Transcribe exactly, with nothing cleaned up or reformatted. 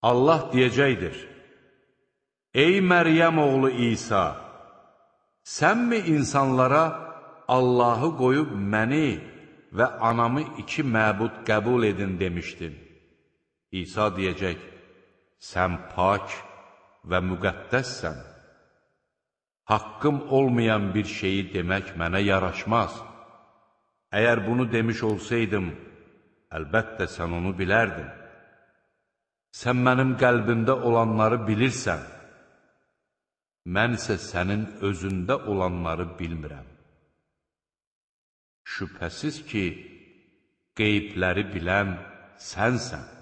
Allah deyəcəkdir: Ey Məryəm oğlu İsa, sənmi insanlara Allahı qoyub məni və anamı iki məbud qəbul edin demişdin? İsa deyəcək: Sən pak və müqəddəssən. Haqqım olmayan bir şeyi demək mənə yaraşmaz. Əgər bunu demiş olsaydım, əlbəttə sən onu bilərdin. Sən mənim qəlbimdə olanları bilirsən. Mən isə sənin özündə olanları bilmirəm. Şübhəsiz ki, qeybləri bilən sənsən.